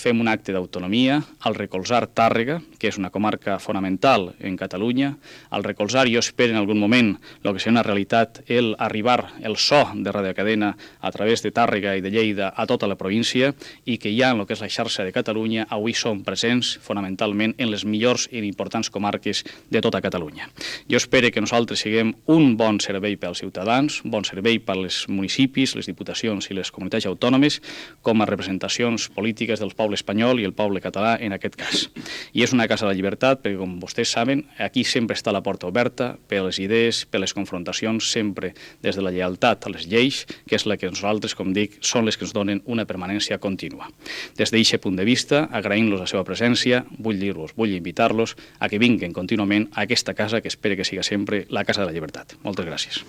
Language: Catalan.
fem un acte d'autonomia, al recolzar Tàrrega, que és una comarca fonamental en Catalunya, al recolzar, jo espero en algun moment, el que serà una realitat, arribar el so de radiocadena a través de Tàrrega i de Lleida a tota la província, i que ja en el que és la xarxa de Catalunya avui som presents fonamentalment en les millors i importants comarques de tota Catalunya. Jo espero que nosaltres siguem un bon servei pels ciutadans, un bon servei per als municipis, les diputacions i les comunitats autònomes, com a representacions polítiques del poble espanyol i el poble català en aquest cas. I és una casa de la llibertat perquè, com vostès saben, aquí sempre està la porta oberta per les idees, per les confrontacions, sempre des de la lleialtat a les lleis, que és la que nosaltres, com dic, són les que ens donen una permanència contínua. Des d'aquest punt de vista, agraïm-los la seva presència, vull dir-los, vull invitar-los a que vinguin contínuament a aquesta casa que espero que siga sempre la Casa de la Llibertat. Moltes gràcies.